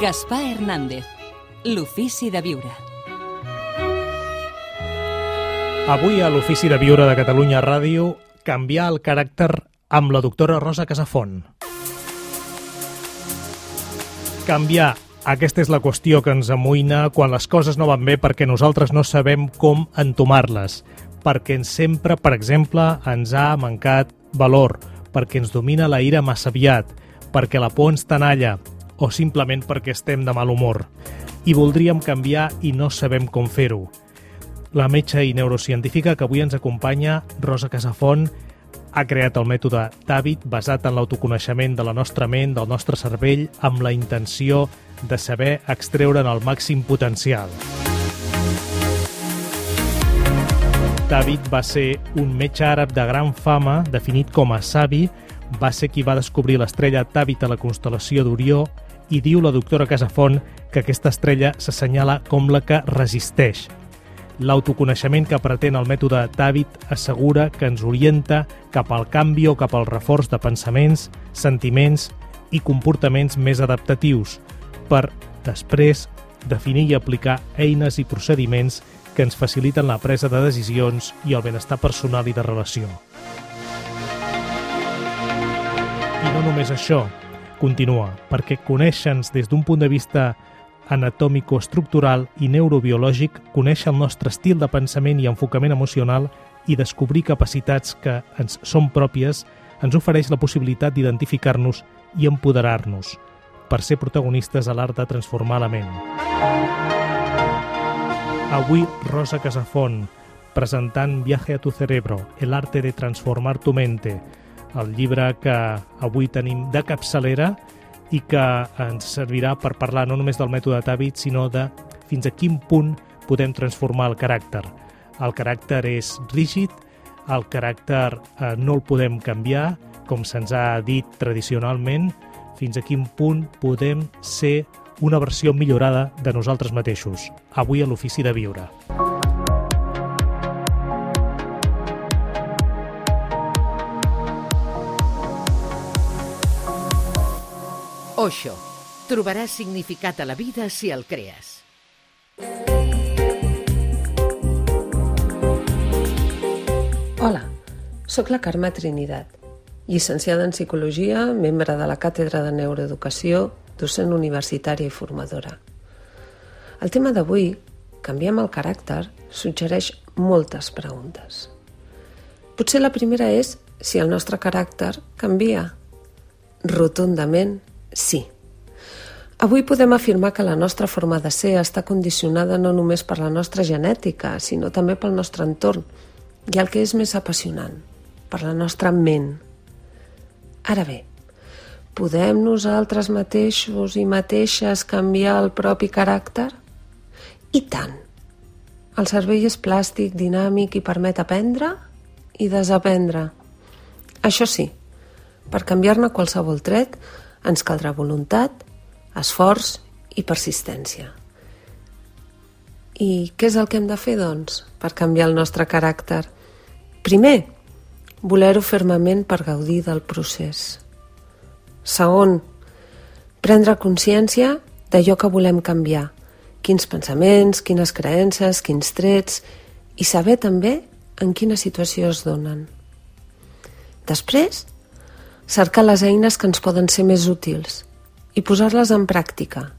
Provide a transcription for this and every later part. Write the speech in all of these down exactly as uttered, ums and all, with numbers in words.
Gaspar Hernández, l'ofici de viure. Avui a l'Ofici de Viure de Catalunya Ràdio, canviar el caràcter amb la doctora Rosa Casafont. Canviar, aquesta és la qüestió que ens amoïna quan les coses no van bé perquè nosaltres no sabem com entomar-les, perquè sempre, per exemple, ens ha mancat valor, perquè ens domina la ira massa aviat, perquè la por ens tenalla o simplement perquè estem de mal humor. I voldríem canviar i no sabem com fer-ho. La metge i neurocientífica que avui ens acompanya, Rosa Casafont, ha creat el mètode Tàbit basat en l'autoconeixement de la nostra ment, del nostre cervell, amb la intenció de saber extreure'n el màxim potencial. Tàbit va ser un metge àrab de gran fama, definit com a savi, va ser qui va descobrir l'estrella Tàbit a la constel·lació d'Orió i diu la doctora Casafont que aquesta estrella s'assenyala com la que resisteix. L'autoconeixement que pretén el mètode Tàbit assegura que ens orienta cap al canvi o cap al reforç de pensaments, sentiments i comportaments més adaptatius per, després, definir i aplicar eines i procediments que ens faciliten la presa de decisions i el benestar personal i de relació. I no només això, continua, perquè conèixer-nos des d'un punt de vista anatòmico-estructural i neurobiològic, conèixer el nostre estil de pensament i enfocament emocional i descobrir capacitats que ens són pròpies ens ofereix la possibilitat d'identificar-nos i empoderar-nos per ser protagonistes a l'art de transformar la ment. Avui, Rosa Casafont, presentant Viaje a tu cerebro, el arte de transformar tu mente, el llibre que avui tenim de capçalera i que ens servirà per parlar no només del mètode Tàbit, sinó de fins a quin punt podem transformar el caràcter. El caràcter és rígid, el caràcter eh, no el podem canviar, com se'ns ha dit tradicionalment, fins a quin punt podem ser una versió millorada de nosaltres mateixos. Avui a l'Ofici de Viure. Osho. Trobaràs significat a la vida si el crees. Hola, sóc la Carme Trinidad, llicenciada en Psicologia, membre de la Càtedra de Neuroeducació, docent universitària i formadora. El tema d'avui, canviem el caràcter, suggereix moltes preguntes. Potser la primera és si el nostre caràcter canvia. Rotundament, sí. Avui podem afirmar que la nostra forma de ser està condicionada no només per la nostra genètica, sinó també pel nostre entorn i el que és més apassionant, per la nostra ment. Ara bé, podem nosaltres mateixos i mateixes canviar el propi caràcter? I tant! El cervell és plàstic, dinàmic i permet aprendre i desaprendre. Això sí, per canviar-ne qualsevol tret ens caldrà voluntat, esforç i persistència. I què és el que hem de fer, doncs, per canviar el nostre caràcter? Primer, voler-ho fermament per gaudir del procés. Segon, prendre consciència d'allò que volem canviar, quins pensaments, quines creences, quins trets, i saber també en quina situació es donen. Després, cercar les eines que ens poden ser més útils i posar-les en pràctica.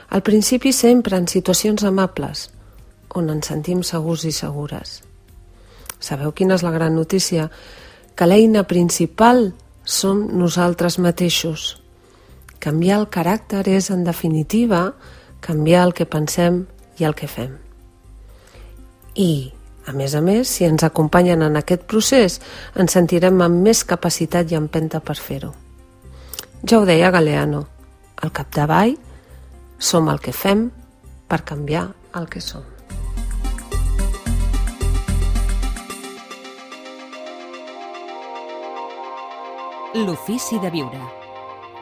Al principi sempre en situacions amables, on ens sentim segurs i segures. Sabeu quina és la gran notícia? Que l'eina principal som nosaltres mateixos. Canviar el caràcter és, en definitiva, canviar el que pensem i el que fem. I, a més a més, si ens acompanyen en aquest procés, ens sentirem amb més capacitat i empenta per fer-ho. Ja ho deia Galeano, al capdavall som el que fem per canviar el que som. L'Ofici de Viure,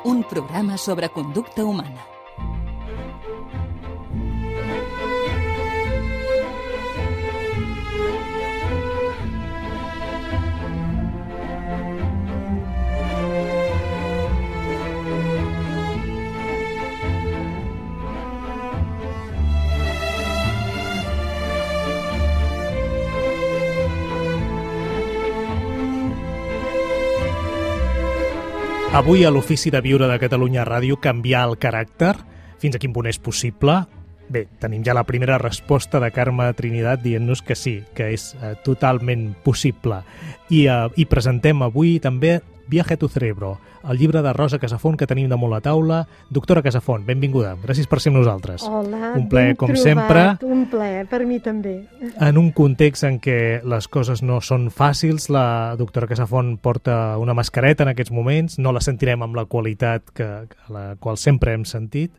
un programa sobre conducta humana. Avui a l'Ofici de Viure de Catalunya Ràdio, canviar el caràcter, fins a quin punt és possible? Bé, tenim ja la primera resposta de Carme Trinidad dient-nos que sí, que és eh, totalment possible. I, eh, I presentem avui també Viaje a tu cerebro, el llibre de Rosa Casafont que tenim damunt la taula. Doctora Casafont, benvinguda. Gràcies per ser amb nosaltres. Hola, un plaer, ben com trobat, sempre. Un plaer, per mi també. En un context en què les coses no són fàcils, la doctora Casafont porta una mascareta en aquests moments, no la sentirem amb la qualitat que, a la qual sempre hem sentit.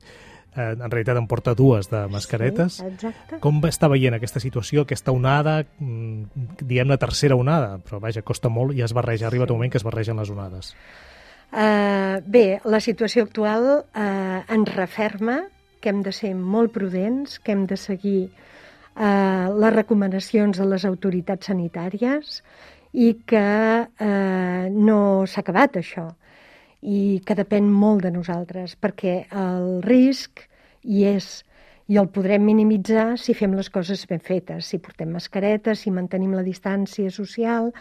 En realitat en porta dues de mascaretes. Sí, exacte. Com està veient aquesta situació, aquesta onada, diem la tercera onada, però vaja, costa molt i es barreja, arriba sí. un moment que es barregen les onades. Uh, bé, la situació actual uh, ens referma que hem de ser molt prudents, que hem de seguir uh, les recomanacions de les autoritats sanitàries i que uh, no s'ha acabat això. I que depèn molt de nosaltres, perquè el risc hi és i el podrem minimitzar si fem les coses ben fetes, si portem mascaretes, si mantenim la distància social,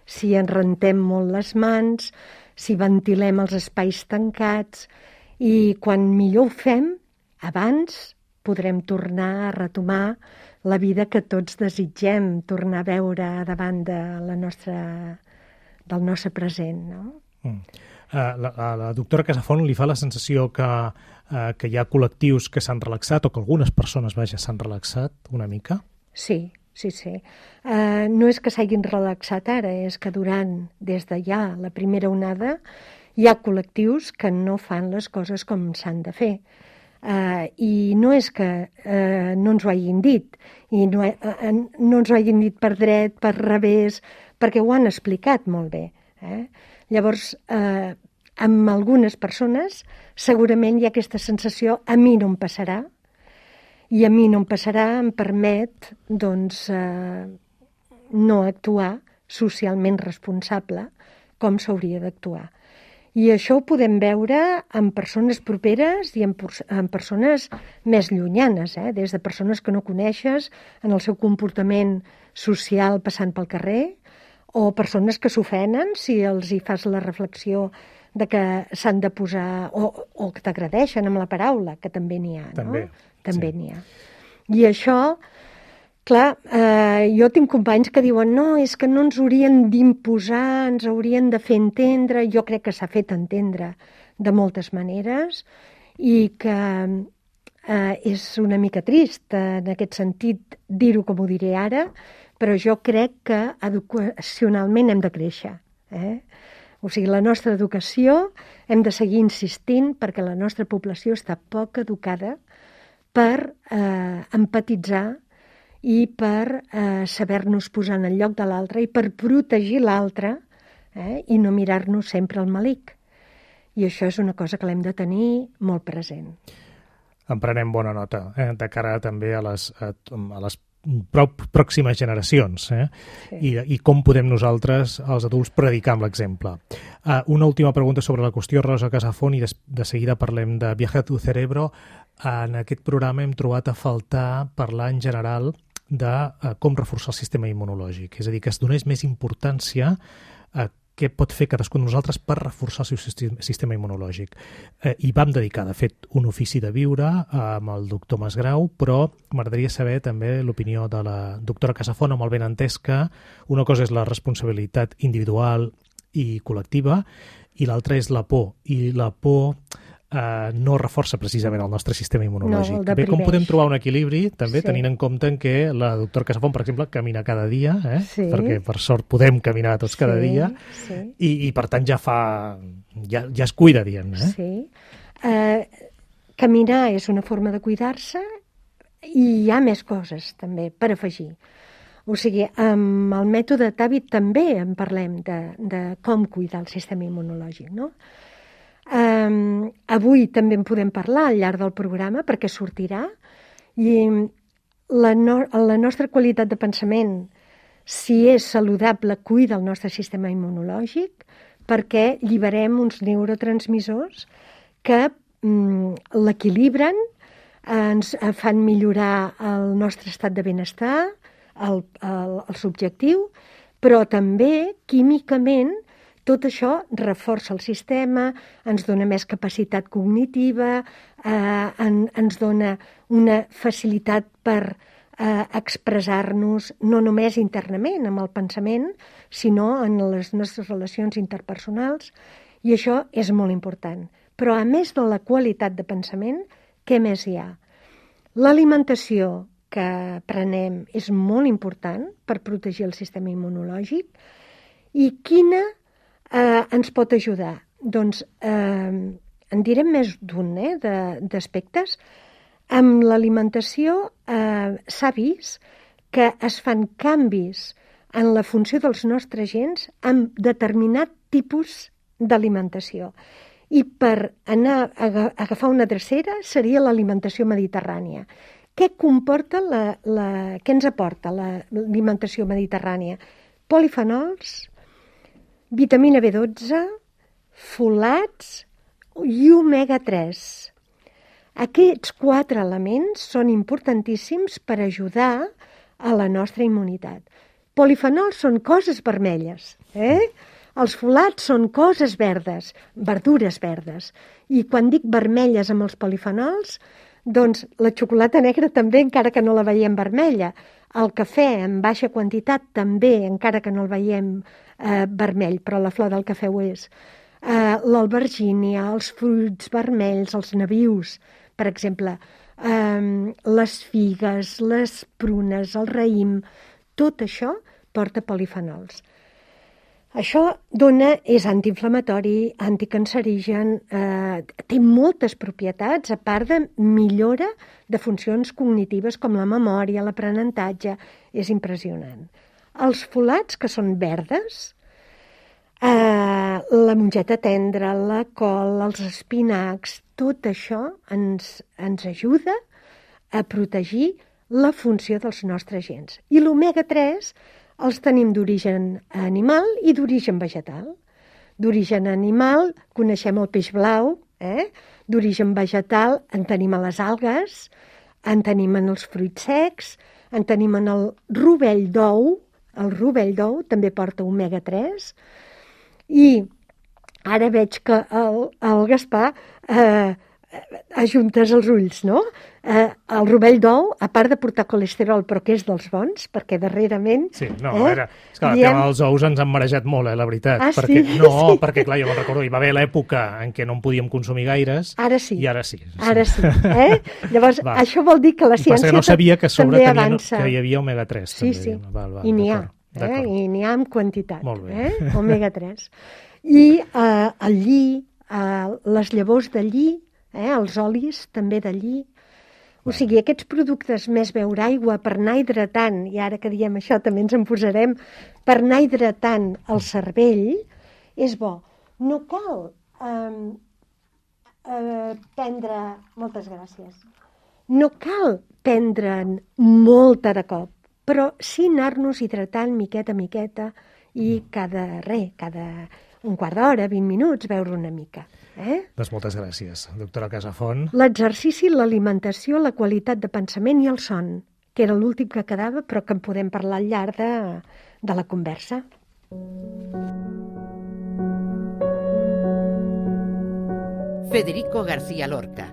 si ens rentem molt les mans, si ventilem els espais tancats, i quan millor ho fem, abans podrem tornar a retomar la vida que tots desitgem, tornar a veure davant de la nostra, del nostre present, no? Mm. Uh, la, a la doctora Casafont li fa la sensació que, uh, que hi ha col·lectius que s'han relaxat o que algunes persones, vaja, s'han relaxat una mica? Sí, sí, sí. Uh, no és que s'hagin relaxat ara, és que durant, des de ja la primera onada, hi ha col·lectius que no fan les coses com s'han de fer. Uh, I no és que uh, no ens ho hagin dit, i no, uh, no ens ho hagin dit per dret, per revés, perquè ho han explicat molt bé. Eh? Llavors, eh, amb algunes persones segurament hi ha aquesta sensació, a mi no em passarà, i a mi no em passarà em permet doncs, eh, no actuar socialment responsable com s'hauria d'actuar. I això ho podem veure en persones properes i en, en persones més llunyanes, eh? Des de persones que no coneixes, en el seu comportament social passant pel carrer, o persones que s'ofenen si els hi fas la reflexió de que s'han de posar, o, o que t'agradeixen amb la paraula, que també n'hi ha, també, no? També sí. n'hi ha. I això, clar, eh, jo tinc companys que diuen no, és que no ens haurien d'imposar, ens haurien de fer entendre. Jo crec que s'ha fet entendre de moltes maneres i que eh, és una mica trist en aquest sentit dir-ho com ho diré ara, però jo crec que educacionalment hem de créixer. Eh? O sigui, la nostra educació hem de seguir insistint perquè la nostra població està poc educada per eh, empatitzar i per eh, saber-nos posar en el lloc de l'altre i per protegir l'altre eh, i no mirar-nos sempre al malic. I això és una cosa que l'hem de tenir molt present. En prenem bona nota, eh, de cara també a les, a, a les pròximes generacions, eh? Sí. I, i com podem nosaltres, els adults, predicar amb l'exemple. Uh, una última pregunta sobre la qüestió, Rosa Casafont, i de, de seguida parlem de Viaje a tu cerebro. Uh, en aquest programa hem trobat a faltar parlar en general de uh, com reforçar el sistema immunològic, és a dir, que es donés més importància a què pot fer cadascun de nosaltres per reforçar el seu sistema immunològic. Eh, I vam dedicar, de fet, un ofici de viure amb el doctor Masgrau, però m'agradaria saber també l'opinió de la doctora Casafont, amb el benentès que una cosa és la responsabilitat individual i col·lectiva i l'altra és la por. I la por eh, no reforça precisament el nostre sistema immunològic. No, Bé, com podem trobar un equilibri, també, sí. tenint en compte en què la doctora Casafont, per exemple, camina cada dia, eh? Sí. perquè per sort podem caminar tots cada sí, dia, sí. I, i per tant ja fa ja, ja es cuida, diem. Eh? Sí. Eh, caminar és una forma de cuidar-se i hi ha més coses també per afegir. O sigui, amb el mètode Tàbit també en parlem de, de com cuidar el sistema immunològic, no? Um, avui també en podem parlar al llarg del programa perquè sortirà i la, no, la nostra qualitat de pensament, si és saludable, cuida el nostre sistema immunològic perquè lliberem uns neurotransmissors que um, l'equilibren, ens fan millorar el nostre estat de benestar, el, el, el subjectiu, però també químicament Tot això reforça el sistema, ens dona més capacitat cognitiva, eh, en, ens dona una facilitat per eh, expressar-nos no només internament amb el pensament, sinó en les nostres relacions interpersonals, i això és molt important. Però a més de la qualitat de pensament, què més hi ha? L'alimentació que prenem és molt important per protegir el sistema immunològic. I quina eh, ens pot ajudar? Doncs eh, en direm més d'un eh, d'aspectes. Amb l'alimentació eh, s'ha vist que es fan canvis en la funció dels nostres gens amb determinat tipus d'alimentació. I per anar a agafar una drecera seria l'alimentació mediterrània. Què comporta la, la, què ens aporta l'alimentació mediterrània? Polifenols, vitamina B dotze, folats i omega tres. Aquests quatre elements són importantíssims per ajudar a la nostra immunitat. Polifenols són coses vermelles, eh? Els folats són coses verdes, verdures verdes. I quan dic vermelles amb els polifenols, doncs la xocolata negra també, encara que no la veiem vermella. El cafè en baixa quantitat també, encara que no el veiem eh, vermell, però la flor del cafè ho és. Eh, l'albergínia, els fruits vermells, els nabius, per exemple, eh, les figues, les prunes, el raïm, tot això porta polifenols. Això dona, és antiinflamatori, anticancerigen, eh, té moltes propietats, a part de millora de funcions cognitives com la memòria, l'aprenentatge, és impressionant. Els folats, que són verdes, eh, la mongeta tendra, la col, els espinacs, tot això ens, ens ajuda a protegir la funció dels nostres gens. I l'omega tres els tenim d'origen animal i d'origen vegetal. D'origen animal coneixem el peix blau, eh? D'origen vegetal en tenim a les algues, en tenim en els fruits secs, en tenim en el rovell d'ou, el rovell d'ou també porta omega tres, i ara veig que el, el Gaspar eh, ajuntes els ulls, no? Eh, el rovell d'ou, a part de portar colesterol, però que és dels bons, perquè darrerament... Sí, no, eh, era... És que el diem... tema dels ous ens han marejat molt, eh, la veritat. Ah, perquè, sí? No, sí. perquè, clar, jo me'n recordo, hi va haver l'època en què no en podíem consumir gaires, Ara sí. i ara sí. sí. Ara sí, eh? Llavors, Va. això vol dir que la ciència Passa que no sabia que a sobre també tenien, avança. que hi havia omega tres. Sí, també. sí, Val, val, i n'hi ha, d'acord, eh? I n'hi ha en quantitat, Molt bé. eh? omega tres. I eh, el lli, eh, les llavors de lli, eh? Els olis també de lli. O sigui, aquests productes més beure aigua per anar hidratant, i ara que diem això també ens en posarem, per anar hidratant el cervell, és bo. No cal eh, eh, prendre... Moltes gràcies. No cal prendre'n molta de cop, però sí anar-nos hidratant miqueta a miqueta i cada res, cada un quart d'hora, vint minuts, beure una mica. Eh? Doncs moltes gràcies, doctora Casafont. L'exercici, l'alimentació, la qualitat de pensament i el son, que era l'últim que quedava, però que en podem parlar al llarg de, de la conversa. Federico García Lorca.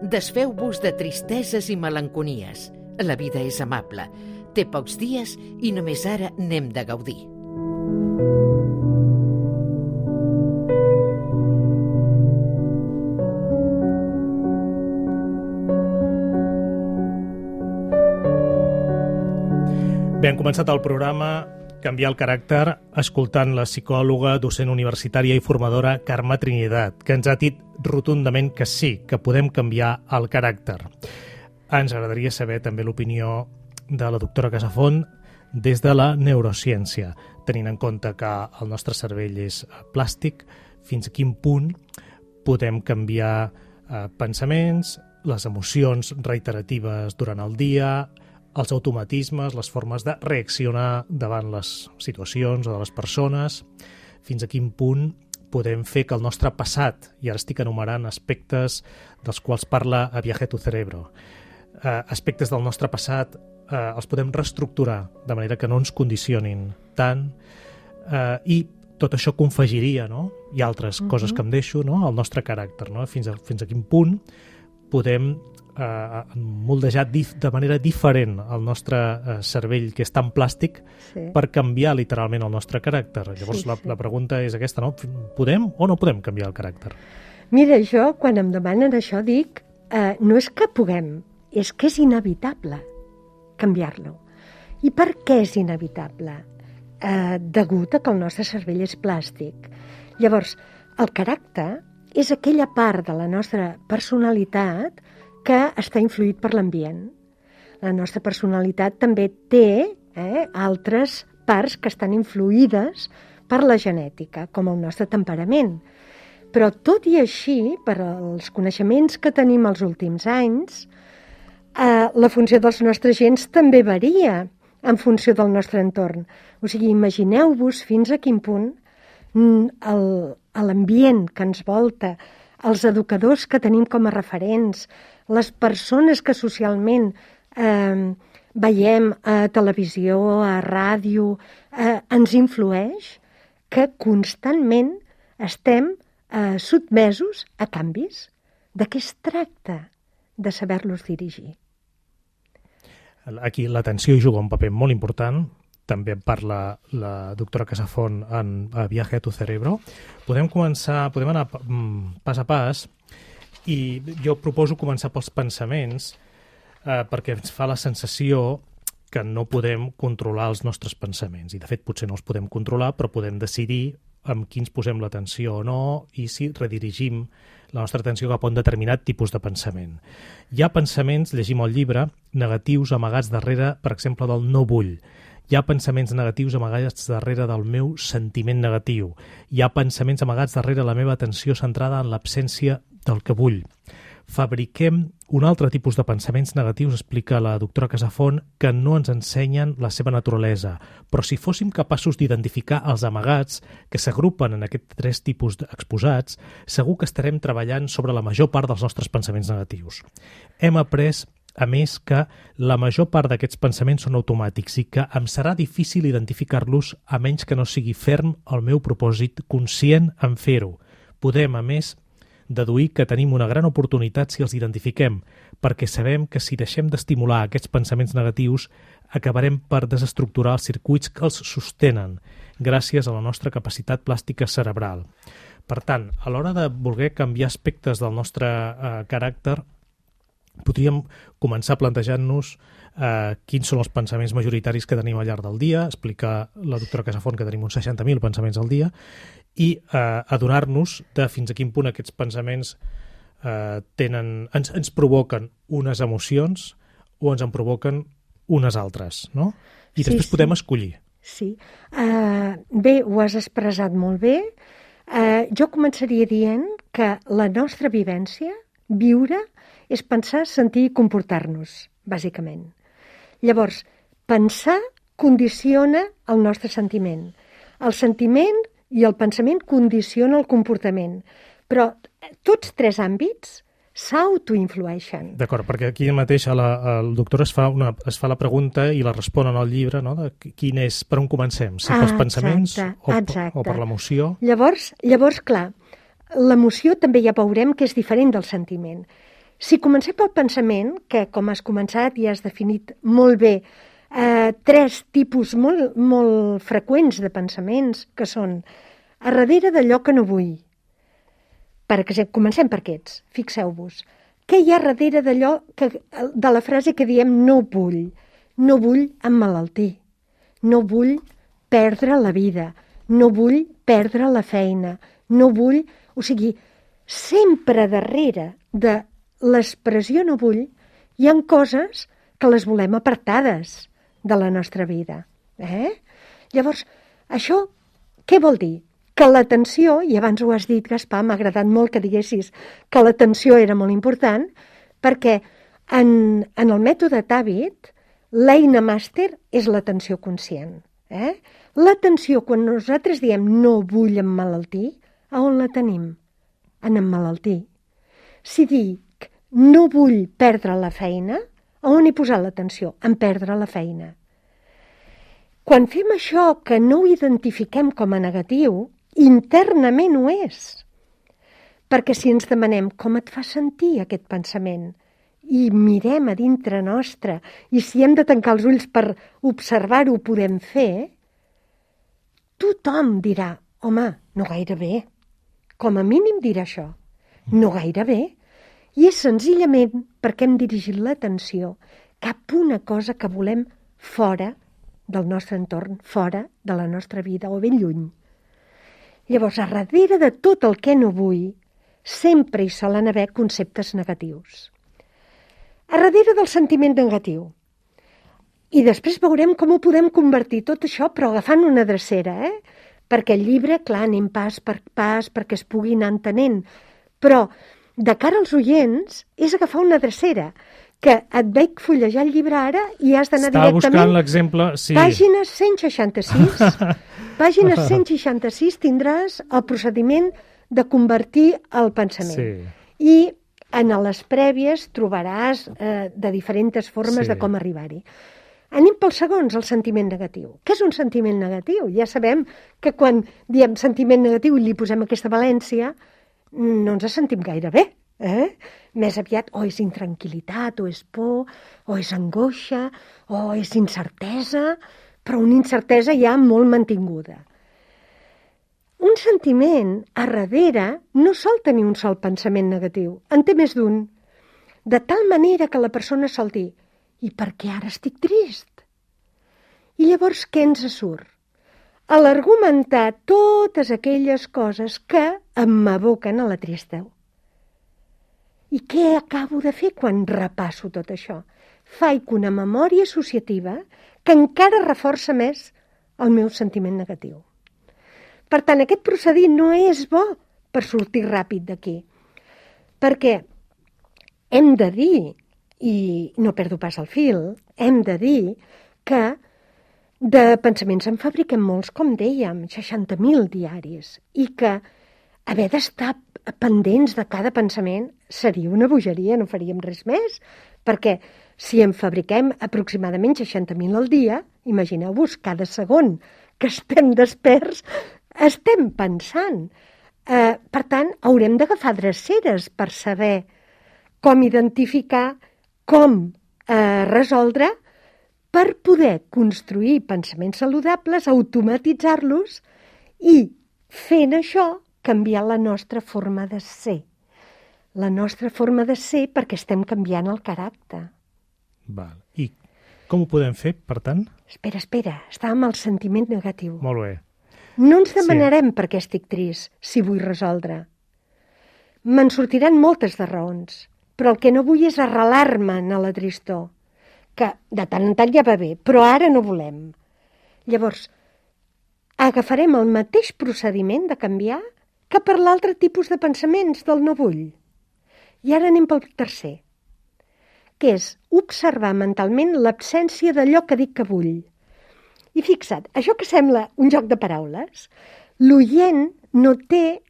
Desfeu-vos de tristeses i melanconies. La vida és amable. Té pocs dies i només ara n'hem de gaudir. Bé, hem començat el programa Canviar el caràcter escoltant la psicòloga, docent universitària i formadora Carme Trinidad, que ens ha dit rotundament que sí, que podem canviar el caràcter. Ens agradaria saber també l'opinió de la doctora Casafont des de la neurociència, tenint en compte que el nostre cervell és plàstic, fins a quin punt podem canviar eh, pensaments, les emocions reiteratives durant el dia, els automatismes, les formes de reaccionar davant les situacions o de les persones, fins a quin punt podem fer que el nostre passat, i ara estic enumerant aspectes dels quals parla a Viaje tu cerebro, eh, aspectes del nostre passat eh, els podem reestructurar de manera que no ens condicionin tant eh, i tot això confegiria, no? I altres uh-huh. coses que em deixo, no? El nostre caràcter, no? Fins a, fins a quin punt podem eh, moldejar dif, de manera diferent el nostre eh, cervell, que és tan plàstic, sí. per canviar literalment el nostre caràcter. Llavors sí, la, sí. la pregunta és aquesta, no? Podem o no podem canviar el caràcter? Mira, jo, quan em demanen això, dic, eh, no és que puguem, és que és inevitable canviar-lo. I per què és inevitable? Eh, degut a que el nostre cervell és plàstic. Llavors, el caràcter és aquella part de la nostra personalitat que està influït per l'ambient. La nostra personalitat també té eh, altres parts que estan influïdes per la genètica, com el nostre temperament. Però tot i així, per als coneixements que tenim els últims anys, eh, la funció dels nostres gens també varia en funció del nostre entorn. O sigui, imagineu-vos fins a quin punt l'ambient que ens volta, els educadors que tenim com a referents, les persones que socialment eh, veiem a televisió, a ràdio, eh, ens influeix, que constantment estem eh, sotmesos a canvis. De què es tracta? De saber-los dirigir. Aquí l'atenció hi juga un paper molt important. També en parla la doctora Casafont en Viaje a tu cerebro. Podem començar, podem anar pas a pas, i jo proposo començar pels pensaments, eh, perquè ens fa la sensació que no podem controlar els nostres pensaments. I de fet potser no els podem controlar, però podem decidir amb quins posem l'atenció o no, i si redirigim la nostra atenció cap a un determinat tipus de pensament. Hi ha pensaments, llegim el llibre, negatius amagats darrere, per exemple, del no vull. Hi ha pensaments negatius amagats darrere del meu sentiment negatiu. Hi ha pensaments amagats darrere la meva atenció centrada en l'absència del que vull. Fabriquem un altre tipus de pensaments negatius, explica la doctora Casafont, que no ens ensenyen la seva naturalesa. Però si fóssim capaços d'identificar els amagats que s'agrupen en aquests tres tipus exposats, segur que estarem treballant sobre la major part dels nostres pensaments negatius. Hem après, a més, que la major part d'aquests pensaments són automàtics i que em serà difícil identificar-los a menys que no sigui ferm el meu propòsit conscient en fer-ho. Podem, a més, deduir que tenim una gran oportunitat si els identifiquem, perquè sabem que si deixem d'estimular aquests pensaments negatius acabarem per desestructurar els circuits que els sostenen, gràcies a la nostra capacitat plàstica cerebral. Per tant, a l'hora de voler canviar aspectes del nostre eh, caràcter, podríem començar plantejant-nos eh, quins són els pensaments majoritaris que tenim al llarg del dia, explica la doctora Casafont que tenim uns seixanta mil pensaments al dia, i eh, adonar-nos de fins a quin punt aquests pensaments eh, tenen, ens, ens provoquen unes emocions o ens en provoquen unes altres, no? I després sí, podem sí. escollir. Sí. Uh, bé, ho has expressat molt bé. Uh, jo començaria dient que la nostra vivència, viure, és pensar, sentir i comportar-nos, bàsicament. Llavors, pensar condiciona el nostre sentiment. El sentiment i el pensament condiciona el comportament. Però tots tres àmbits s'autoinflueixen. D'acord, perquè aquí mateix la, el doctor es fa, una, es fa la pregunta i la respon en el llibre, no? De quin és, per on comencem? Si ah, pels pensaments exacte, o, exacte. o per l'emoció? Llavors, llavors, clar, l'emoció també ja veurem que és diferent del sentiment. Si comencem pel pensament, que com has començat i has definit molt bé, eh, tres tipus molt, molt freqüents de pensaments, que són a darrere d'allò que no vull. Per exemple, comencem per aquests, fixeu-vos. Què hi ha darrere d'allò que, de la frase que diem no vull? No vull emmalaltir, no vull perdre la vida, no vull perdre la feina, no vull... O sigui, sempre darrere de l'expressió no vull hi ha coses que les volem apartades de la nostra vida. Eh? Llavors, això què vol dir? Que l'atenció, i abans ho has dit, Gaspar, m'ha agradat molt que diguessis que l'atenció era molt important, perquè en, en el mètode Tàbit, l'eina màster és l'atenció conscient. Eh? L'atenció, quan nosaltres diem no vull emmalaltir, a on la tenim? En emmalaltir. Si dic no vull perdre la feina, a on he posat l'atenció? En perdre la feina. Quan fem això, que no ho identifiquem com a negatiu, internament ho és. Perquè si ens demanem com et fa sentir aquest pensament i mirem a dintre nostre i si hem de tancar els ulls per observar-ho ho podem fer, tothom dirà, home, no gaire bé. Com a mínim dirà això, no gaire bé. I és senzillament perquè hem dirigit l'atenció cap a una cosa que volem fora del nostre entorn, fora de la nostra vida o ben lluny. Llavors, a darrere de tot el que no vull, sempre hi solen haver conceptes negatius. A darrere del sentiment negatiu. I després veurem com ho podem convertir tot això, però agafant una drecera, eh? Perquè el llibre, clar, anem pas per pas perquè es pugui anar entenent. Però, de cara als oients, és agafar una drecera, que et veig fullejar el llibre ara i has d'anar Estava directament... buscant l'exemple, sí. Pàgina cent seixanta-sis. Pàgina cent seixanta-sis tindràs el procediment de convertir el pensament. Sí. I en les prèvies trobaràs eh, de diferents formes Sí. de com arribar-hi. Anem pels segons, el sentiment negatiu. Què és un sentiment negatiu? Ja sabem que quan diem sentiment negatiu i li posem aquesta valència, no ens sentim gaire bé. Eh? Més aviat o és intranquil·litat, o és por, o és angoixa, o és incertesa, però una incertesa ja molt mantinguda. Un sentiment, a darrere, no sol tenir un sol pensament negatiu, en té més d'un. De tal manera que la persona sol dir, i per què ara estic trist? I llavors què ens surt? A l'argumentar totes aquelles coses que m'aboquen a la tristesa. I què acabo de fer quan repasso tot això? Faig una memòria associativa que encara reforça més el meu sentiment negatiu. Per tant, aquest procedit no és bo per sortir ràpid d'aquí. Perquè hem de dir, i no perdo pas el fil, hem de dir que de pensaments en fabriquem molts, com dèiem, seixanta mil diaris, i que haver d'estar pendents de cada pensament seria una bogeria, no faríem res més, perquè si en fabriquem aproximadament seixanta mil al dia, imagineu-vos, cada segon que estem desperts, estem pensant. Eh, per tant, haurem d'agafar dreceres per saber com identificar, com eh, resoldre, per poder construir pensaments saludables, automatitzar-los i, fent això, canviar la nostra forma de ser. La nostra forma de ser perquè estem canviant el caràcter. Val. I com ho podem fer, per tant? Espera, espera, estàvem al sentiment negatiu. Molt bé. No ens demanarem sí. per què estic trist, si vull resoldre. Me'n sortiran moltes de raons, però el que no vull és arrelar-me en la tristor, que de tant en tant ja va bé, però ara no volem. Llavors, agafarem el mateix procediment de canviar que per l'altre tipus de pensaments del no vull. I ara anem pel tercer, que és observar mentalment l'absència d'allò que dic que vull. I fixa't, això que sembla un joc de paraules, l'oient no té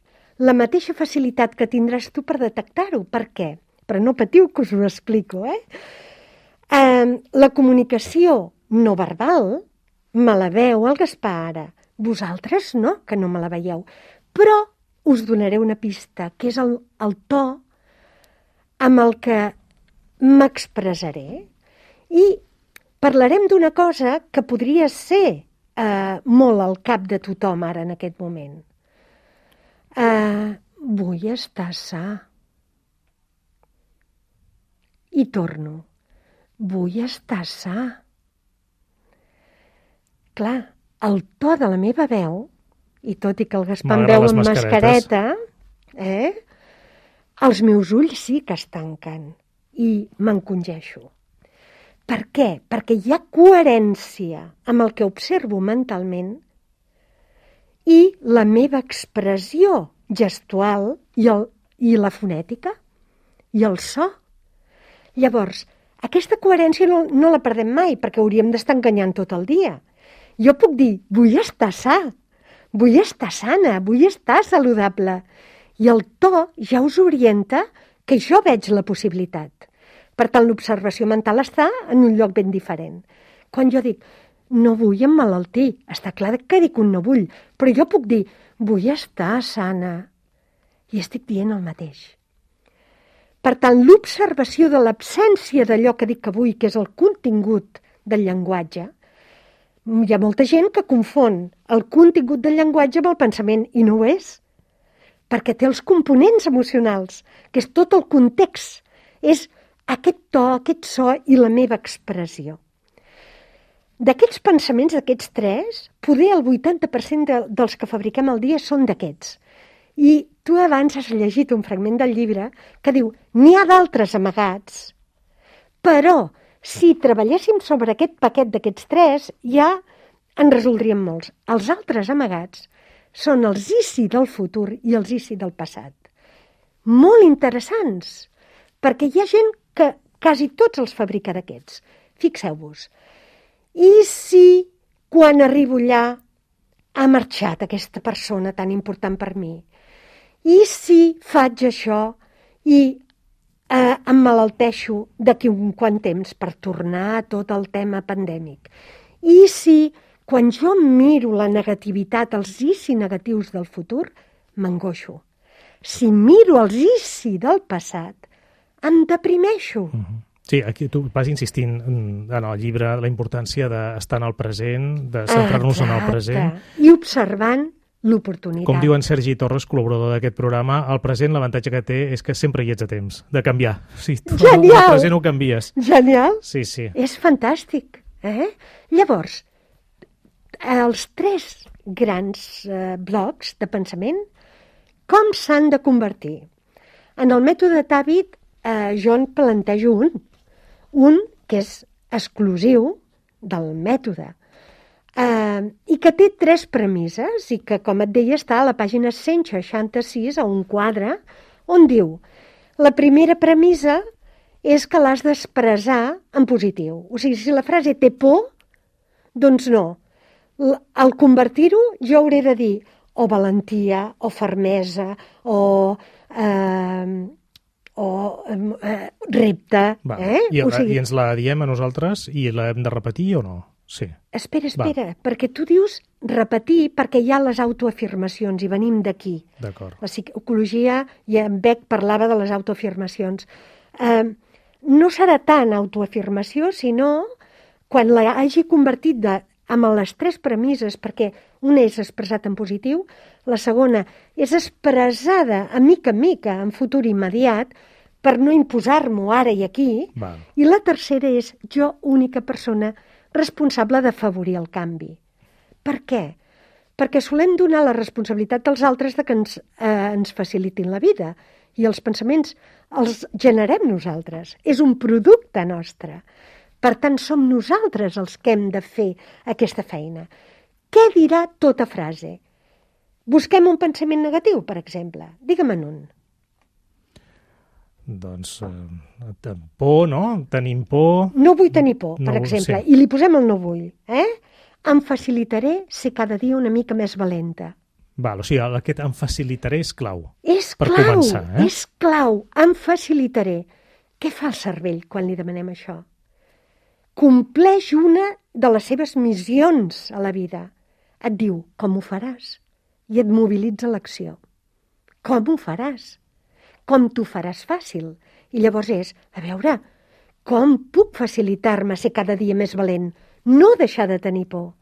la mateixa facilitat que tindràs tu per detectar-ho. Per què? Però no patiu que us ho explico, eh? eh la comunicació no verbal me la veu el Gaspar ara. Vosaltres no, que no me la veieu. Però us donaré una pista, que és el, el to amb el que m'expressaré. I parlarem d'una cosa que podria ser eh, molt al cap de tothom ara en aquest moment. Eh, vull estar sa. I torno. Vull estar sa. Clar, el to de la meva veu, i tot i que el Gaspar em veu amb mascareta, eh, els meus ulls sí que es tanquen i m'encongeixo. Per què? Perquè hi ha coherència amb el que observo mentalment i la meva expressió gestual i, el, i la fonètica i el so. Llavors, aquesta coherència no, no la perdem mai perquè hauríem d'estar enganyant tot el dia. Jo puc dir, vull estar sa, vull estar sana, vull estar saludable. I el to ja us orienta que jo veig la possibilitat. Per tant, l'observació mental està en un lloc ben diferent. Quan jo dic, no vull emmalaltir. Està clar que dic un no vull, però jo puc dir, vull estar sana. I estic dient el mateix. Per tant, l'observació de l'absència d'allò que dic que vull, que és el contingut del llenguatge, hi ha molta gent que confon el contingut del llenguatge amb el pensament, i no ho és, perquè té els components emocionals, que és tot el context, és aquest to, aquest so i la meva expressió. D'aquests pensaments, d'aquests tres, poder el vuitanta per cent de, dels que fabriquem al dia són d'aquests. I tu abans has llegit un fragment del llibre que diu n'hi ha d'altres amagats, però si treballéssim sobre aquest paquet d'aquests tres, ja en resoldríem molts. Els altres amagats són els I C I del futur i els I C I del passat. Molt interessants, perquè hi ha gent que quasi tots els fabrica d'aquests. Fixeu-vos. I si quan arribo allà ha marxat aquesta persona tan important per mi? I si faig això i eh, em malalteixo d'aquí un quant temps per tornar a tot el tema pandèmic? I si quan jo miro la negativitat, els I C I negatius del futur, m'angoixo? Si miro els I C I del passat, em deprimeixo. Uh-huh. Sí, aquí tu vas insistint en el llibre la importància d'estar en el present, de centrar-nos en el present. I observant l'oportunitat. Com diu en Sergi Torres, col·laborador d'aquest programa, el present l'avantatge que té és que sempre hi ets a temps de canviar. Sí, tu Genial! El present ho canvies. Genial! Sí, sí. És fantàstic. Eh? Llavors, els tres grans eh, blocs de pensament, com s'han de convertir? En el mètode Tàbit, eh, jo en plantejo un. Un que és exclusiu del mètode eh, i que té tres premisses i que, com et deia, està a la pàgina cent seixanta-sis, a un quadre, on diu la primera premissa és que l'has d'expressar en positiu. O sigui, si la frase té por, doncs no. Al convertir-ho jo hauré de dir o valentia, o fermesa, o... Eh, o eh, repte. Va. Eh? I, o sigui, I ens la diem a nosaltres i l'hem de repetir o no? Sí. Espera, espera, Va. perquè tu dius repetir perquè hi ha les autoafirmacions i venim d'aquí. D'acord. La psicologia, i en Beck parlava de les autoafirmacions. Eh, no serà tant autoafirmació, sinó quan la hagi convertit de, amb les tres premisses, perquè una és expressat en positiu, la segona és expressada a mica en mica, en futur immediat, per no imposar-m'ho ara i aquí, Val. I la tercera és jo, única persona responsable d'afavorir el canvi. Per què? Perquè solem donar la responsabilitat als altres de que ens, eh, ens facilitin la vida, i els pensaments els generem nosaltres. És un producte nostre. Per tant, som nosaltres els que hem de fer aquesta feina. Què dirà tota frase? Busquem un pensament negatiu, per exemple. Digue'm-en un. Doncs eh, por, no? Tenim por... No vull tenir por, no, per exemple. Sí. I li posem el no vull. Eh? Em facilitaré ser cada dia una mica més valenta. Val, o sigui, aquest em facilitaré és clau. És per clau, començar, eh? és clau. Em facilitaré. Què fa el cervell quan li demanem això? Compleix una de les seves missions a la vida. Et diu, com ho faràs? I et mobilitza l'acció. Com ho faràs? Com t'ho faràs fàcil? I llavors és, a veure, com puc facilitar-me ser cada dia més valent? No deixar de tenir por.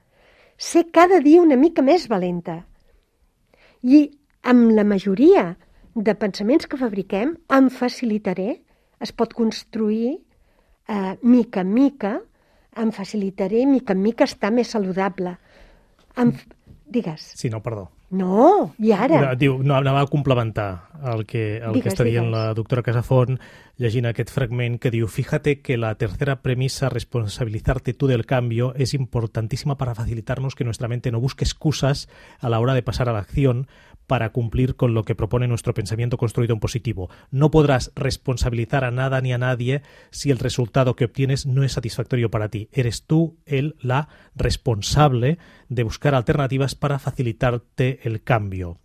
Ser cada dia una mica més valenta. I amb la majoria de pensaments que fabriquem, em facilitaré, es pot construir eh, mica en mica, em facilitaré mica en mica estar més saludable. Em... Digues. Sí, no, perdó. No, i ara? Diu, no, anava a complementar el que, el digues, que està dient digues. la doctora Casafont, llegint aquest fragment que diu: fíjate que la tercera premisa, responsabilizarte tú del cambio, es importantísima para facilitarnos que nuestra mente no busque excusas a la hora de pasar a la acción para cumplir con lo que propone nuestro pensamiento construido en positivo. No podrás responsabilizar a nada ni a nadie si el resultado que obtienes no es satisfactorio para ti. Eres tú el, la responsable de buscar alternativas para facilitarte el cambio.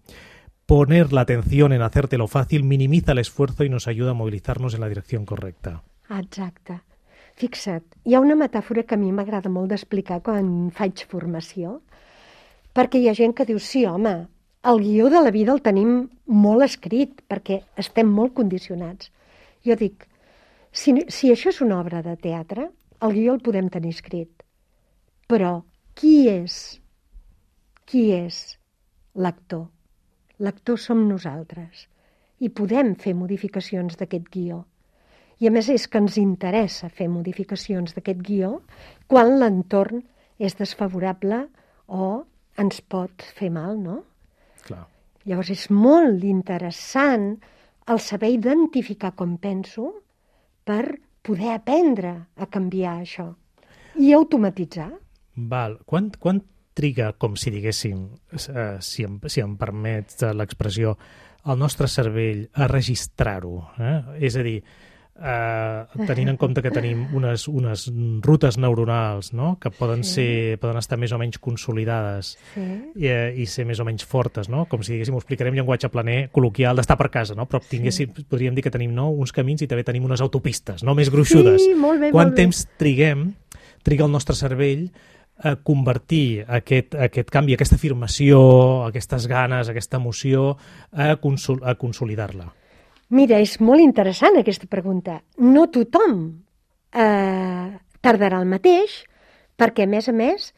Poner la atención en hacértelo fácil minimiza el esfuerzo y nos ayuda a movilizarnos en la dirección correcta. Exacte. Fixa't, hi ha una metàfora que a mi m'agrada molt d'explicar quan faig formació, perquè hi ha gent que diu, sí, home, el guió de la vida el tenim molt escrit, perquè estem molt condicionats. Jo dic, si, si això és una obra de teatre, el guió el podem tenir escrit. Però qui és? Qui és l'actor? L'actor som nosaltres. I podem fer modificacions d'aquest guió. I a més és que ens interessa fer modificacions d'aquest guió quan l'entorn és desfavorable o ens pot fer mal, no? Clar. Llavors és molt interessant el saber identificar com penso per poder aprendre a canviar això i automatitzar. Val. Quan, quan triga, com si diguéssim, eh, si, em, si em permets l'expressió, el nostre cervell a registrar-ho? Eh? És a dir, eh, tenint en compte que tenim unes, unes rutes neuronals, no? Que poden, sí. ser, poden estar més o menys consolidades, sí. i, i ser més o menys fortes, no? Com si diguéssim, ho explicarem llenguatge planer col·loquial d'estar per casa, no? Però tinguéssim, sí. podríem dir que tenim, no, uns camins i també tenim unes autopistes, no? Més gruixudes. Sí, molt bé, Quant molt temps bé. triguem, triga el nostre cervell a convertir aquest, aquest canvi, aquesta afirmació, aquestes ganes, aquesta emoció, a, consol a consolidar-la? Mira, és molt interessant aquesta pregunta. No tothom eh, tardarà el mateix, perquè, a més a més,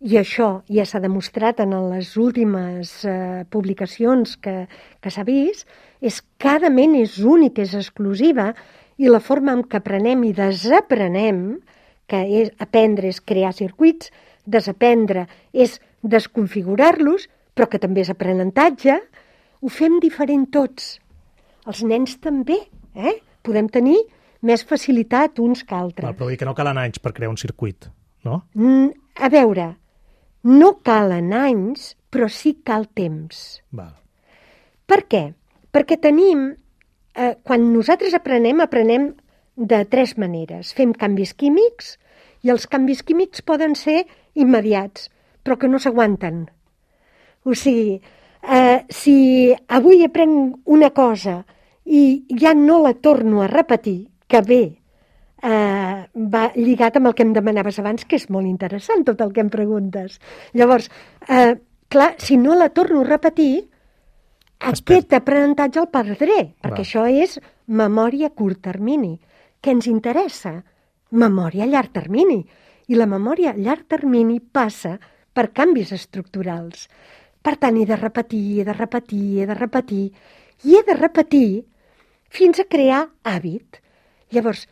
i això ja s'ha demostrat en les últimes eh, publicacions que, que s'ha vist, és que cada ment és única, és exclusiva, i la forma en què aprenem i desaprenem, que és, aprendre és crear circuits, desaprendre és desconfigurar-los, però que també és aprenentatge, ho fem diferent tots. Els nens també, eh? Podem tenir més facilitat uns que altres. Val, però vull dir que no calen anys per crear un circuit, no? Mm, a veure, no calen anys, però sí cal temps. Val. Per què? Perquè tenim, eh, quan nosaltres aprenem, aprenem de tres maneres. Fem canvis químics i els canvis químics poden ser immediats, però que no s'aguanten. O sigui, eh, si avui aprenc una cosa i ja no la torno a repetir, que bé, eh, va lligat amb el que em demanaves abans, que és molt interessant tot el que em preguntes. Llavors, eh, clar, si no la torno a repetir, aquest aprenentatge el perdré, perquè Va. això és memòria a curt termini. Què ens interessa? Memòria a llarg termini. I la memòria a llarg termini passa per canvis estructurals. Per tant, he de repetir, he de repetir, he de repetir, i he de repetir fins a crear hàbit. Llavors,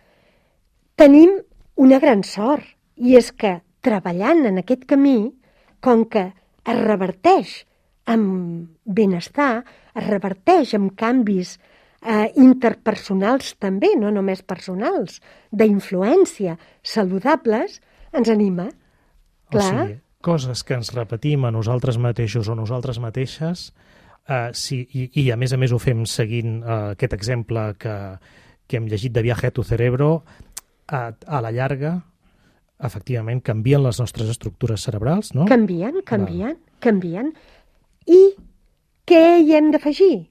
tenim una gran sort, i és que treballant en aquest camí, com que es reverteix amb benestar, es reverteix amb canvis eh, interpersonals també, no només personals, d'influència, saludables, ens anima. Clar. O sigui, coses que ens repetim a nosaltres mateixos o nosaltres mateixes, eh, sí, i, i a més a més ho fem seguint eh, aquest exemple que, que hem llegit de Viaje a tu cerebro, a, a la llarga, efectivament, canvien les nostres estructures cerebrals, no? Canvien, canvien, Val. canvien. I què hi hem d'afegir?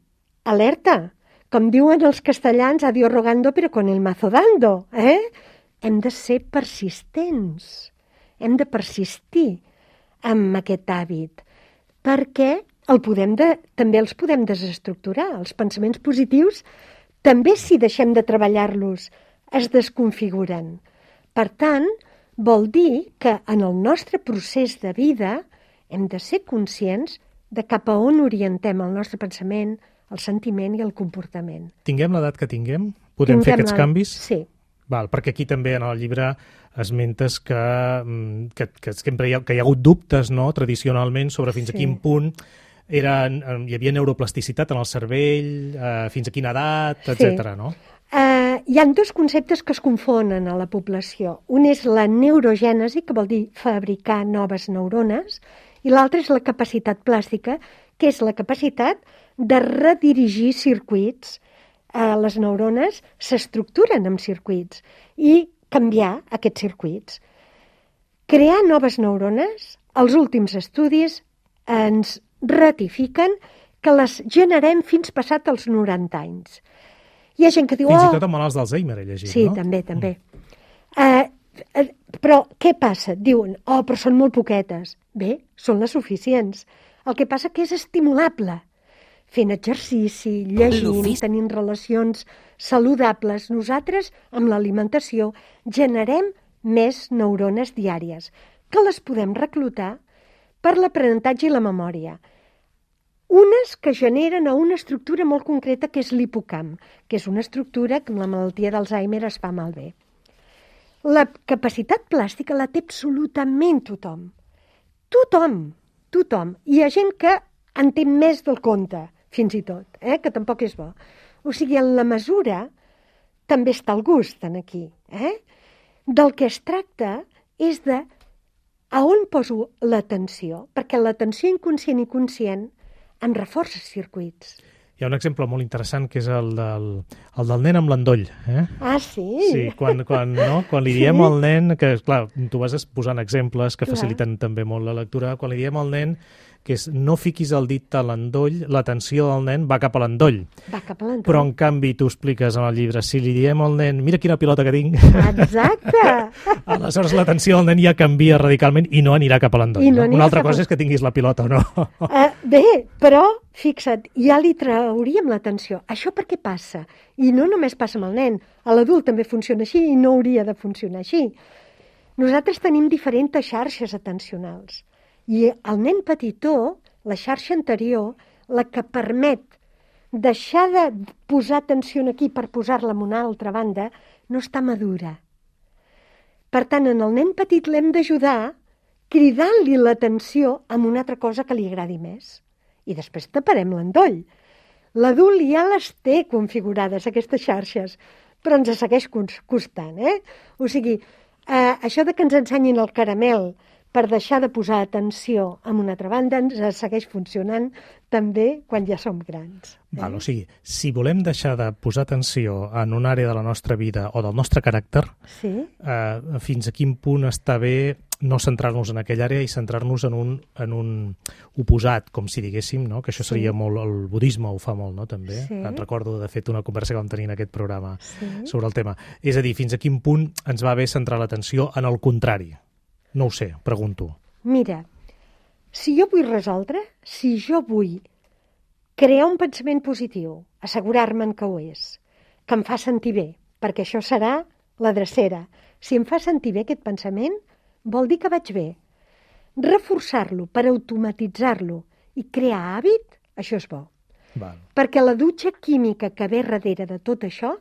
Alerta! Com diuen els castellans, a Dios rogando, però con el mazo dando. Eh? Hem de ser persistents. Hem de persistir amb aquest hàbit, perquè el podem de, també els podem desestructurar. Els pensaments positius també, si deixem de treballar-los, es desconfiguren. Per tant, vol dir que en el nostre procés de vida hem de ser conscients de cap a on orientem el nostre pensament, el sentiment i el comportament. Tinguem l'edat que tinguem? Podem tinguem fer aquests la... canvis? Sí. Val, perquè aquí també en el llibre esmentes que, que, que sempre hi ha, que hi ha hagut dubtes, no?, tradicionalment sobre fins sí. a quin punt era, hi havia neuroplasticitat en el cervell, eh, fins a quina edat, etcètera, sí. no? Uh, hi ha dos conceptes que es confonen a la població. Un és la neurogènesi, que vol dir fabricar noves neurones, i l'altre és la capacitat plàstica, que és la capacitat de redirigir circuits. Uh, les neurones s'estructuren en circuits i canviar aquests circuits. Crear noves neurones, els últims estudis ens ratifiquen que les generem fins passat els noranta anys. Hi ha gent que diu... Fins i tot amb malalts d'Alzheimer he llegit, sí, no? Sí, també, també. Eh, eh, però què passa? Diuen, oh, però són molt poquetes. Bé, són les suficients. El que passa que és estimulable. Fent exercici, llegint, tenint relacions saludables, nosaltres, amb l'alimentació, generem més neurones diàries, que les podem reclutar per l'aprenentatge i la memòria. Unes que generen a una estructura molt concreta, que és l'hipocamp, que és una estructura que amb la malaltia d'Alzheimer es fa malbé. La capacitat plàstica la té absolutament tothom. Tothom, tothom. Hi ha gent que en té més del compte, fins i tot, eh? Que tampoc és bo. O sigui, en la mesura també està el gust en aquí. Eh? Del que es tracta és de a on poso l'atenció, perquè l'atenció inconscient i conscient em reforça circuits. Hi ha un exemple molt interessant que és el del, el del nen amb l'endoll. Eh? Ah, sí? Sí, quan, quan, no? quan li diem sí? al nen, que clar, tu vas posant exemples que clar. faciliten també molt la lectura, quan li diem al nen que és no fiquis el dit a l'endoll, l'atenció del nen va cap a l'endoll. Va cap a l'endoll. Però en canvi tu expliques en el llibre, si li diem al nen, mira quina pilota que tinc, exacte. aleshores l'atenció del nen ja canvia radicalment i no anirà cap a l'endoll. No? No Una altra cosa a... és que tinguis la pilota o no. Uh, bé, però, fixa't, ja li trauríem l'atenció. Això per què passa? I no només passa amb el nen, a l'adult també funciona així i no hauria de funcionar així. Nosaltres tenim diferents xarxes atencionals. I el nen petitó, la xarxa anterior, la que permet deixar de posar atenció aquí per posar-la en una altra banda, no està madura. Per tant, en el nen petit l'hem d'ajudar cridant-li l'atenció amb una altra cosa que li agradi més. I després taparem l'endoll. L'adult ja les té configurades, aquestes xarxes, però ens segueix costant. Eh? O sigui, eh, això de que ens ensenyin el caramel per deixar de posar atenció en una altra banda, ens segueix funcionant també quan ja som grans. Eh? Val, o sigui, si volem deixar de posar atenció en una àrea de la nostra vida o del nostre caràcter, sí? eh, fins a quin punt està bé no centrar-nos en aquella àrea i centrar-nos en un, en un oposat, com si diguéssim, no? Que això seria sí. molt... El budisme ho fa molt, no?, també. Sí. Et recordo, de fet, una conversa que vam tenir en aquest programa sí. sobre el tema. És a dir, fins a quin punt ens va bé centrar l'atenció en el contrari. No ho sé, pregunto. Mira, si jo vull resoldre, si jo vull crear un pensament positiu, assegurar-me'n que ho és, que em fa sentir bé, perquè això serà la drecera. Si em fa sentir bé aquest pensament, vol dir que vaig bé. Reforçar-lo per automatitzar-lo i crear hàbit, això és bo. Val. Perquè la dutxa química que ve darrere de tot això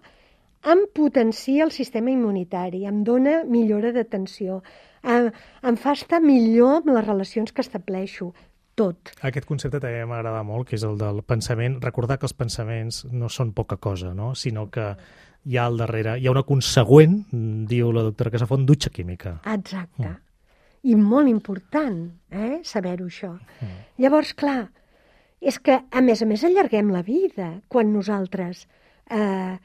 em potencia el sistema immunitari, em dona millora d'atenció, em, em fa estar millor amb les relacions que estableixo, tot. Aquest concepte també m'agrada molt, que és el del pensament. Recordar que els pensaments no són poca cosa, no? Sinó que hi ha al darrere, hi ha una consegüent, diu la doctora Casafont, dutxa química. Exacte. Mm. I molt important, eh, saber-ho això. Mm. Llavors, clar, és que, a més a més, allarguem la vida quan nosaltres eh,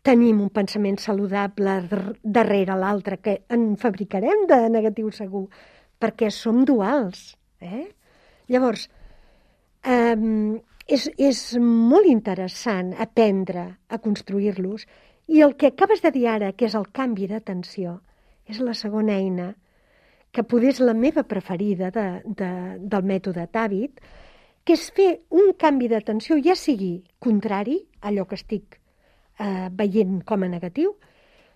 tenim un pensament saludable darrere l'altre, que en fabricarem de negatiu segur, perquè som duals. Eh? Llavors, eh, és, és molt interessant aprendre a construir-los, i el que acabes de dir ara, que és el canvi d'atenció, és la segona eina, que poder és la meva preferida de, de, del mètode Tàbit, que és fer un canvi d'atenció, ja sigui contrari a allò que estic eh, veient com a negatiu,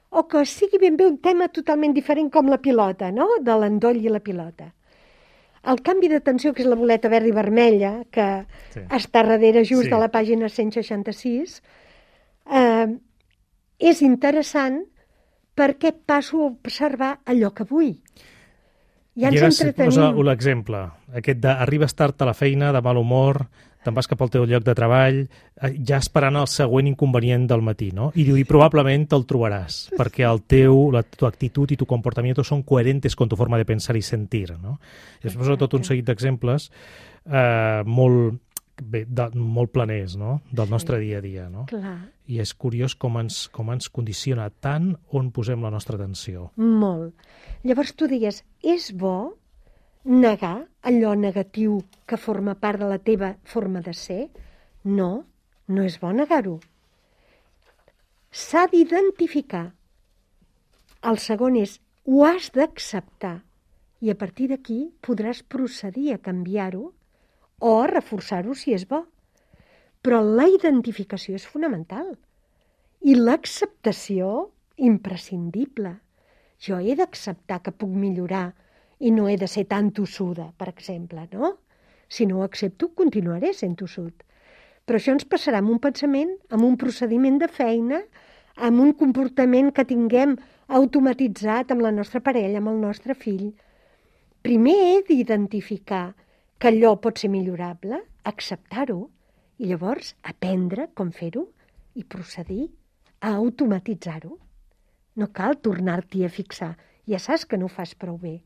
o que sigui ben bé un tema totalment diferent com la pilota, no?, de l'endoll i la pilota. El canvi d'atenció, que és la boleta verda i vermella, que sí. està darrere just sí. de la pàgina cent seixanta-sis, eh, és interessant perquè passo a observar allò que vull. Ja ens entretenim. L'exemple, aquest de arribes tard a la feina, de mal humor, te'n vas cap al teu lloc de treball, ja esperant el següent inconvenient del matí, no? I diu, i probablement te'l trobaràs, perquè el teu, la, tu actitud i tu comportamiento son coherentes con tu forma de pensar i sentir, no? I després tot un seguit d'exemples eh, molt, bé, de, molt planers, no?, del nostre dia a dia, no? Clar. I és curiós com ens, com ens condiciona tant on posem la nostra atenció. Molt. Llavors tu digues, és bo negar allò negatiu que forma part de la teva forma de ser? No, no és bo negar-ho. S'ha d'identificar El segon és, ho has d'acceptar. I a partir d'aquí podràs procedir a canviar-ho o a reforçar-ho si és bo. Però la identificació és fonamental. I l'acceptació, imprescindible. Jo he d'acceptar que puc millorar i no he de ser tan tossuda, per exemple, no? Si no ho accepto, continuaré sent tossut. Però això ens passarà amb un pensament, amb un procediment de feina, amb un comportament que tinguem automatitzat amb la nostra parella, amb el nostre fill. Primer he d'identificar que allò pot ser millorable, acceptar-ho, i llavors aprendre com fer-ho i procedir a automatitzar-ho. No cal tornar-t'hi a fixar. Ja saps que no ho fas prou bé.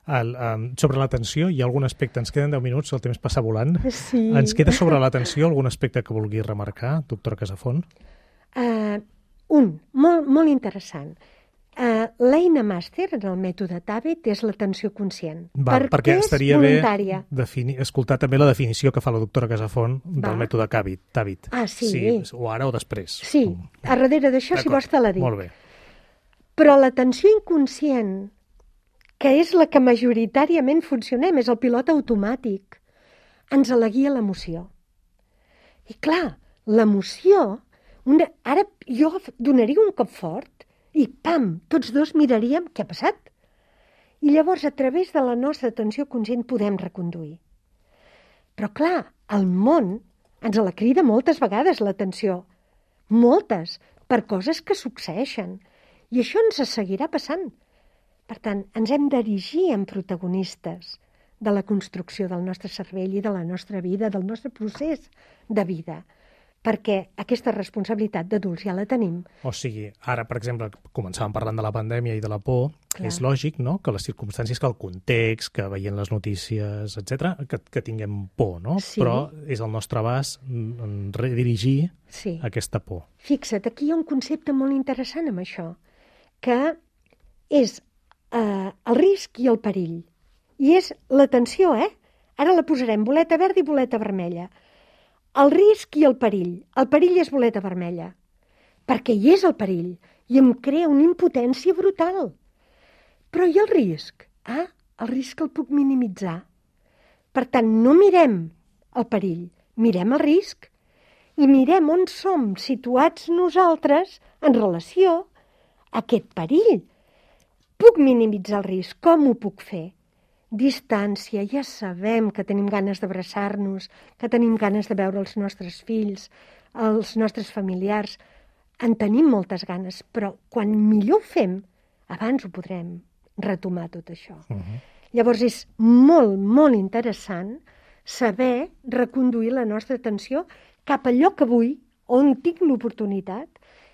El, um, sobre l'atenció, hi ha algun aspecte? Ens queden deu minuts, el temps passa volant. Sí. Ens queda sobre l'atenció algun aspecte que vulgui remarcar, doctora Casafont? Uh, un, molt, molt interessant. Uh, L'eina màster en el mètode Tàbet és l'atenció conscient. Val, perquè perquè és estaria voluntària. bé defini... escoltar també la definició que fa la doctora Casafont del Va. mètode Tàbet. Ah, sí. sí. O ara o després. Sí, a darrere d'això, si vols, te la dic. Molt bé. Però l'atenció inconscient, que és la que majoritàriament funcionem, és el pilot automàtic, ens la guia l'emoció. I clar, l'emoció, una... ara jo donaria un cop fort i pam, tots dos miraríem què ha passat. I llavors, a través de la nostra atenció conscient, podem reconduir. Però clar, el món ens la crida moltes vegades l'atenció, moltes, per coses que succeeixen. I això ens seguirà passant. Per tant, ens hem d'erigir en protagonistes de la construcció del nostre cervell i de la nostra vida, del nostre procés de vida, perquè aquesta responsabilitat d'adults ja la tenim. O sigui, ara, per exemple, començàvem parlant de la pandèmia i de la por, Clar. És lògic, no?, que les circumstàncies, que el context, que veient les notícies, etcètera, que, que tinguem por, no? Sí. Però és el nostre abast en redirigir sí. aquesta por. Fixa't, aquí hi ha un concepte molt interessant amb això, que és eh, el risc i el perill. I és l'atenció, eh? Ara la posarem boleta verda i boleta vermella. El risc i el perill. El perill és boleta vermella, perquè hi és el perill i em crea una impotència brutal. Però i el risc? Ah, el risc el puc minimitzar. Per tant, no mirem el perill, mirem el risc i mirem on som situats nosaltres en relació a aquest perill. Puc minimitzar el risc. Com ho puc fer? Distància, ja sabem que tenim ganes d'abraçar-nos, que tenim ganes de veure els nostres fills, els nostres familiars. En tenim moltes ganes, però quan millor ho fem, abans ho podrem retomar tot això. Uh-huh. Llavors és molt, molt interessant saber reconduir la nostra atenció cap a allò que vull, on tinc l'oportunitat,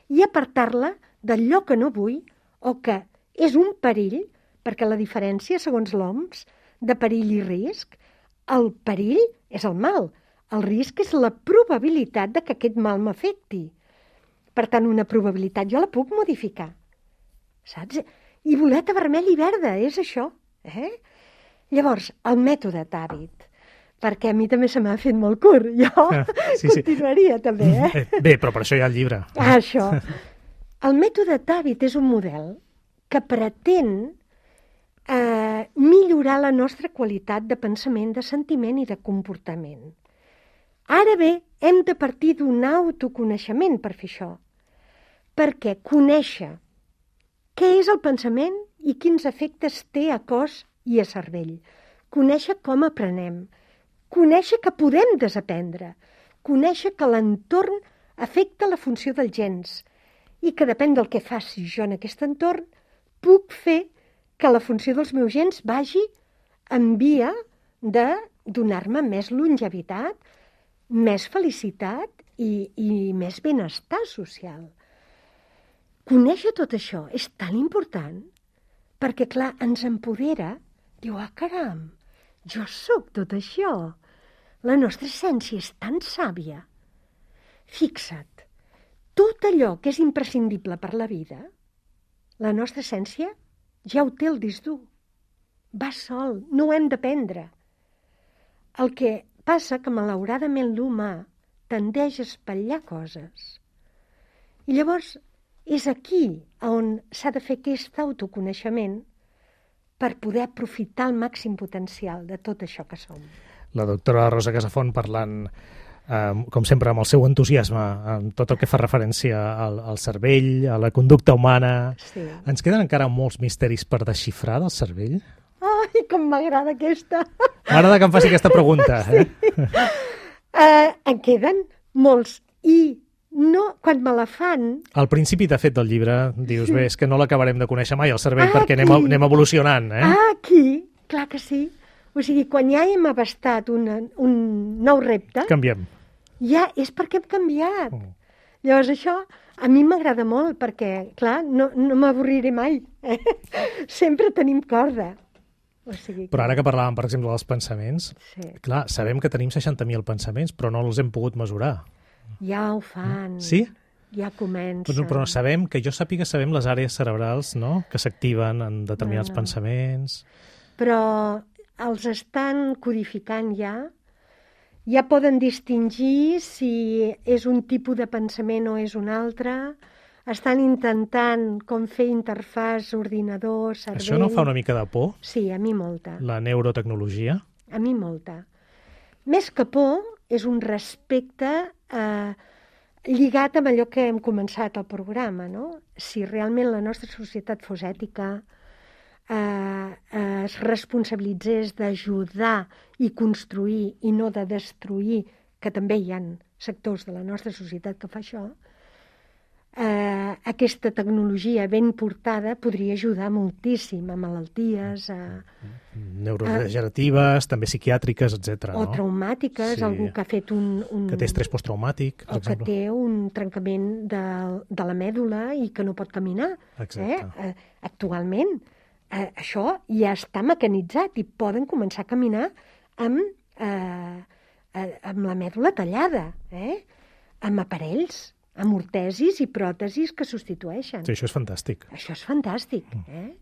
i apartar-la d'allò que no vull o que és un perill, perquè la diferència, segons l'O M S, de perill i risc, el perill és el mal, el risc és la probabilitat de que aquest mal m'afecti. Per tant, una probabilitat jo la puc modificar, saps? I boleta vermella i verda, és això. Eh? Llavors, el mètode Tàbet, perquè a mi també se m'ha fet molt curt, jo sí, continuaria sí. també. Eh? Bé, però per això hi ha el llibre. Ah, això. El mètode Tàbet és un model que pretén eh, millorar la nostra qualitat de pensament, de sentiment i de comportament. Ara bé, hem de partir d'un autoconeixement per fer això, perquè conèixer què és el pensament i quins efectes té a cos i a cervell, conèixer com aprenem, conèixer que podem desaprendre, conèixer que l'entorn afecta la funció dels gens i que depèn del que faci jo en aquest entorn, puc fer que la funció dels meus gens vagi en via de donar-me més longevitat, més felicitat i, i més benestar social. Conèixer tot això és tan important perquè, clar, ens empodera. Diu, ah, caram, jo sóc tot això. La nostra essència és tan sàvia. Fixa't, tot allò que és imprescindible per la vida, la nostra essència ja ho té el disc dur. Va sol, no ho hem d'aprendre. El que passa que, malauradament, l'humà tendeix a espatllar coses. I llavors és aquí on s'ha de fer aquest autoconeixement per poder aprofitar el màxim potencial de tot això que som. La doctora Rosa Casafont parlant, eh, com sempre, amb el seu entusiasme en tot el que fa referència al, al cervell, a la conducta humana. Sí. Ens queden encara molts misteris per desxifrar del cervell? Ai, com m'agrada aquesta! M'agrada que em faci aquesta pregunta. Eh? Sí. Uh, en queden molts i no, quan me la fan... Al principi, de fet, del llibre, dius, Sí. bé, és que no l'acabarem de conèixer mai, el cervell, Ah, perquè anem, aquí. anem evolucionant, eh? Ah, aquí, clar que sí. O sigui, quan ja hem abastat una, un nou repte, Canviem. ja és perquè hem canviat. Mm. Llavors això a mi m'agrada molt perquè, clar, no, no m'avorriré mai. Eh? Sempre tenim corda. O sigui, Però ara que parlàvem, per exemple, dels pensaments, Sí. clar, sabem que tenim seixanta mil pensaments, però no els hem pogut mesurar. Ja ho fan. Sí? Ja comencen. Però, però sabem, que jo sàpiga, sabem les àrees cerebrals, no?, que s'activen en determinats No, no. pensaments. Però els estan codificant ja. Ja poden distingir si és un tipus de pensament o és un altre. Estan intentant com fer interfàs ordinador, cervell... Això no fa una mica de por, Sí, a mi molta. la neurotecnologia? A mi molta. Més que por, és un respecte eh, lligat amb allò que hem començat al programa, no? Si realment la nostra societat fos ètica, eh, eh, es responsabilitzés d'ajudar i construir i no de destruir, que també hi ha sectors de la nostra societat que fa això, eh, aquesta tecnologia ben portada podria ajudar moltíssim a malalties, a, Neurodegeneratives, també psiquiàtriques, etcètera. o no? traumàtiques, Sí. algú que ha fet un... un Que té estrès posttraumàtic, per o que exemple. té un trencament de, de la mèdula i que no pot caminar. Exacte. Eh? Eh, actualment, eh, això ja està mecanitzat i poden començar a caminar amb, eh, eh, amb la mèdula tallada, eh? Amb aparells, amb ortesis i pròtesis que substitueixen. Sí, això és fantàstic. Això és fantàstic, eh?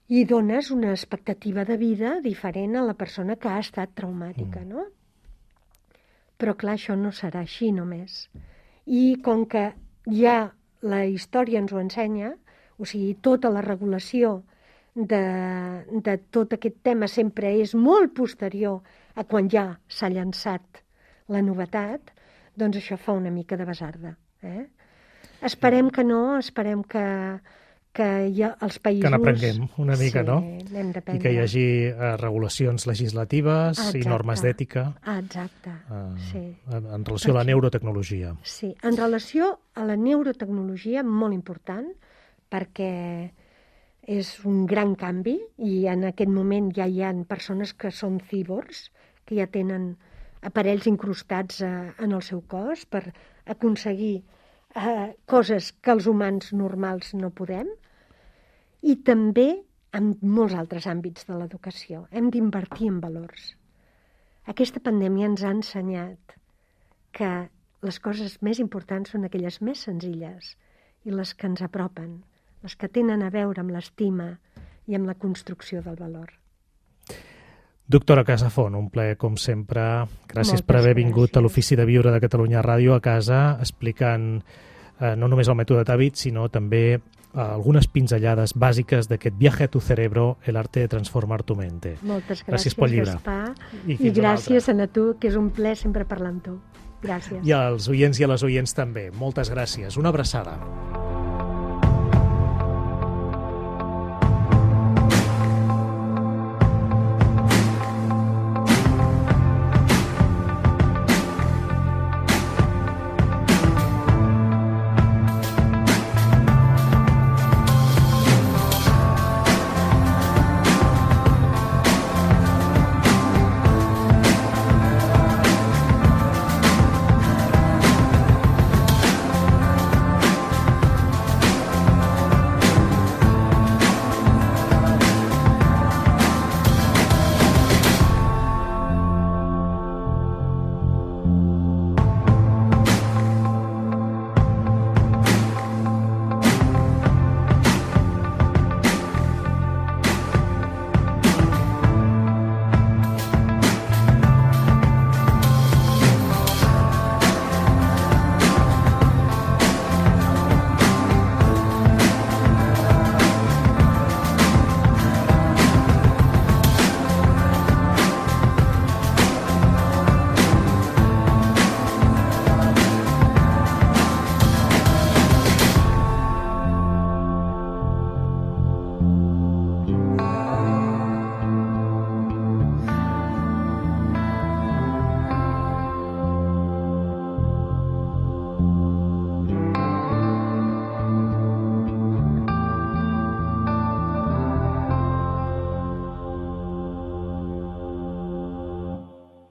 I dones una expectativa de vida diferent a la persona que ha estat traumàtica, mm. no? Però, clar, això no serà així només. I com que ja la història ens ho ensenya, o sigui, tota la regulació de, de tot aquest tema sempre és molt posterior a quan ja s'ha llançat la novetat, doncs això fa una mica de basarda. Eh? Esperem que no, esperem que, que ja els països... Que n'aprenguem una mica, sí, no? n'hem I d'aprendre. que hi hagi eh, regulacions legislatives Exacte. i normes d'ètica Ah, exacte, eh, sí. en, en relació a la neurotecnologia. Sí, en relació a la neurotecnologia, molt important, perquè és un gran canvi i en aquest moment ja hi ha persones que són cíborgs, que ja tenen aparells incrustats eh, en el seu cos per aconseguir eh, coses que els humans normals no podem, i també en molts altres àmbits de l'educació. Hem d'invertir en valors. Aquesta pandèmia ens ha ensenyat que les coses més importants són aquelles més senzilles i les que ens apropen, les que tenen a veure amb l'estima i amb la construcció del valor. Doctora Casafont, un plaer com sempre. Gràcies Moltes per haver vingut gràcies. a l'Ofici de Viure de Catalunya Ràdio a casa, explicant eh, no només el mètode Tàbit, sinó també eh, algunes pinzellades bàsiques d'aquest Viaje a tu cerebro, el arte de transformar tu mente. Moltes Gràcies gràcies, pel llibre. Gaspar, I i, fins una gràcies a tu, que és un plaer sempre parlar amb tu. Gràcies. I als oients i a les oients també. Moltes gràcies. Una abraçada.